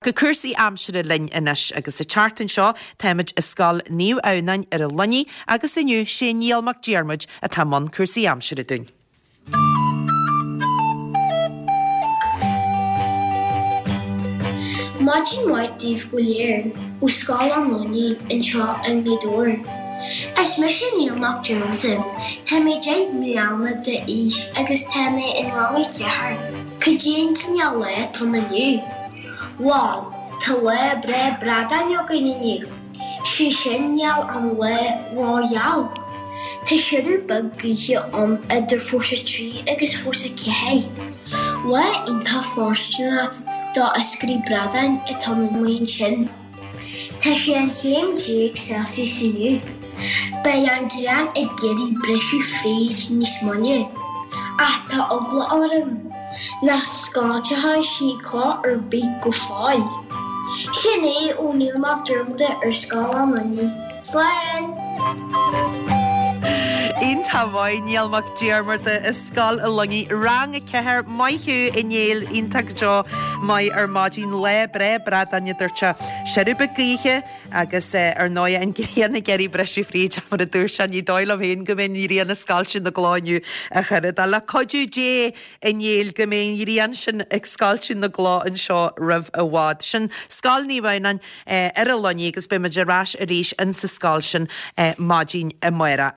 Go cúrsaí aimsire linn anois agus an tseachtain seo táimid i Scoil Naomh Adhamhnáin ar an Luinnigh agus inniu sé Niall Mac Diarmuid atá i mbun cúrsaí aimsire dúinn. Maidin mhaith daoibh go léir ó Scoil an Luinnigh anseo i nGaoth Dobhair. Is mise Niall Mac Diarmada, tá mé 10 mbliana d'aois agus tá mé in rang a ceathair. Cad é an cineál lá atá ann inniu? Bhal, tá lá breá bradáin againn inniu. Sé sin níl an lá ró-gheal. Tá siorradh beag gaoithe ann idir fórsa 3 agus fórsa 4. Lá iontach fóirsteanach do iascairí bradáin atá ann amuigh ansin. Tá sé 11 chéim Celsius inniu. Beidh an ghrian ag iarraidh briseadh fríd níos moille, ach tá eagla orm nach scoiltfidh sí cloch ar bith go fóill. Sin é ó Niall Mac Diarmada ar Scoil an Luinnigh. Slán! Iontach maith, Niall Mac Diarmada i Scoil an Luinnigh, Rang 4, maith thú a Néill, iontach go deo, maith ar maidin, lá breá bradáin a dúirt sé, siorradh beag gaoithe agus ar ndóigh an ghrian ag iarraidh briseadh fríd ach mar a dúirt sé ní dóigh liom féin go mbeidh an ghrian ag scoilteadh na gcloch inniu a chara, le cuidiú Dé a Néill go mbeidh an ghrian sin ag scoilteadh na gcloch anseo roimh i bhfad. Sin Scoil Naomh Adhamhnáin ar an Luinnigh agus beidh muid ar ais arís insa scoil sin maidin amárach.